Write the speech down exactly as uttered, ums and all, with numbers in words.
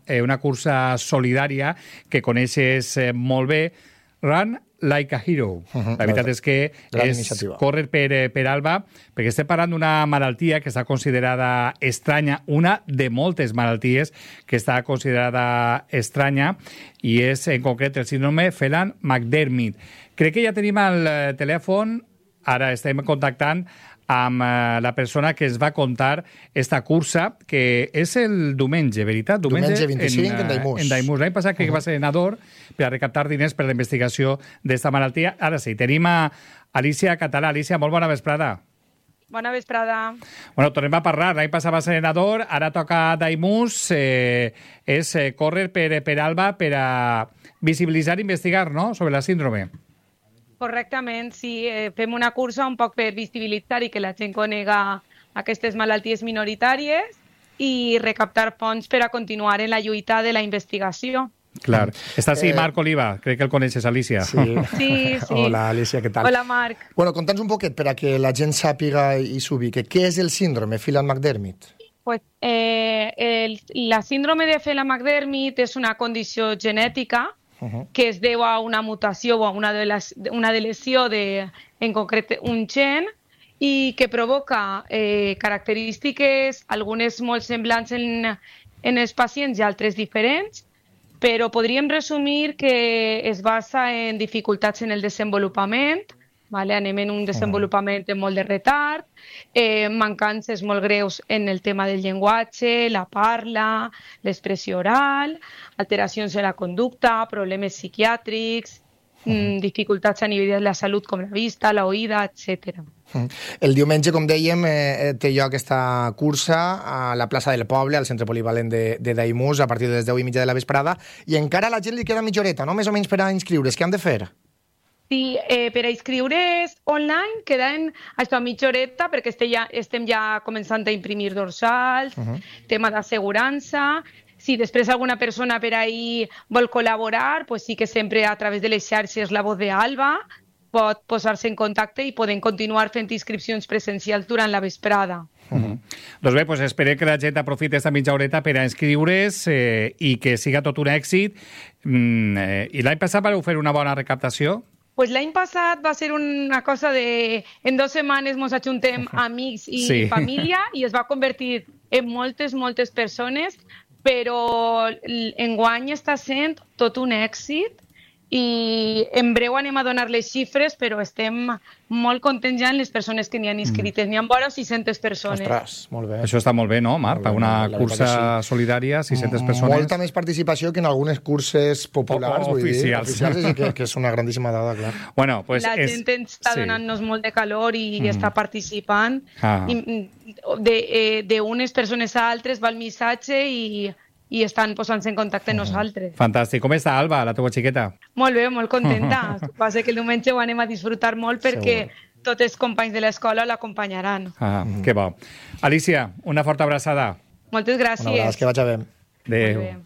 eh, una cursa solidària que coneixes eh, molt bé, Run Like a Hero. Uh-huh. La veritat és que Gran és iniciativa. córrer per, per Alba, perquè estem parlant d'una malaltia que està considerada estranya, una de moltes malalties que està considerada estranya, i és en concret el síndrome Phelan-McDermid. Crec que ja tenim al telèfon, ara estem contactant amb eh, la persona que es va contar esta cursa, que és el diumenge, veritat? Diumenge vint-i-cinc, en Daimús. En Daimús. L'any passat crec que va ser en Ador per a recaptar diners per a la investigació d'esta malaltia. Ara sí, tenim a Alicia Català. Alicia, molt bona vesprada. Bona vesprada. Bueno, tornem a parlar. L'any passat va ser en Ador, ara toca Daimús. Eh, és eh, córrer per, per Alba per a visibilitzar i investigar, no?, sobre la síndrome. Correctament, sí. Eh, fem una cursa un poc per visibilitzar i que la gent conega aquestes malalties minoritàries i recaptar fons per a continuar en la lluita de la investigació. Clar. Està així Eh, Marc Oliva, crec que el coneixes, Alicia. Sí. Sí, sí. Hola, Alicia, què tal? Hola, Marc. Bueno, conta'ns un poquet per a que la gent sàpiga i s'ubique. Què és el síndrome Phelan-McDermid? Pues, eh, el, la síndrome de Phelan-McDermid és una condició genètica Uh-huh. que es deu a una mutació o a una, de les, una deleció de, en concret, un gen i que provoca eh, característiques, algunes molt semblants en, en els pacients i altres diferents, però podríem resumir que es basa en dificultats en el desenvolupament, vale? Anem en un desenvolupament amb molt de retard, eh, mancances molt greus en el tema del llenguatge, la parla, l'expressió oral, alteracions en la conducta, problemes psiquiàtrics, mm, dificultats a nivell de la salut com la vista, la oïda, etcètera. El diumenge, com dèiem, eh, té lloc aquesta cursa a la plaça del Poble, al centre polivalent de, de Daimús, a partir de les deu i mitja de la vesprada, i encara a la gent li queda mitja horeta, no?, més o menys per a inscriure's. Què han de fer? Sí, eh, per a inscriure's online queden això, mitja horeta perquè este ja, estem ja començant a imprimir dorsals, uh-huh. tema d'assegurança. Si després alguna persona per ahí vol col·laborar, pues sí que sempre a través de les xarxes La Voz de Alba pot posar-se en contacte i poden continuar fent inscripcions presencials durant la vesprada. Uh-huh. Doncs bé, pues esperem que la gent aprofiti aquesta mitja horeta per a inscriure's eh, i que siga tot un èxit. Mm, eh, I l'any passat vau fer una bona recaptació? Pues l'any passat va ser una cosa de... En dues setmanes ens ajuntem amics i sí. família i es va convertir en moltes, moltes persones, però enguany està sent tot un èxit i en breu anem a donar les xifres, però estem molt contents ja en les persones que n'hi han inscrites. Mm. N'hi ha vora sis-centes persones. Ostres, molt bé. Això està molt bé, no, Marc? Per una la cursa sí. solidària, sis-centes persones. Molta més participació que en algunes curses populars, o, vull oficials. dir, oficials, que, que és una grandíssima dada, clar. Bueno, pues la és... gent està sí. donant-nos molt de calor i mm. està participant. Ah. I, de, eh, d'unes persones a altres va el missatge i... i estan posant-se en contacte amb nosaltres. Fantàstic. Com està, Alba, la teva xiqueta? Molt bé, molt contenta. Passa que el diumenge ho anem a disfrutar molt perquè Segur. Tots els companys de l'escola l'acompanyaran. Ah, mm. que bo. Alicia, una forta abraçada. Moltes gràcies. Una abraçada, que vaig a bé. Adéu.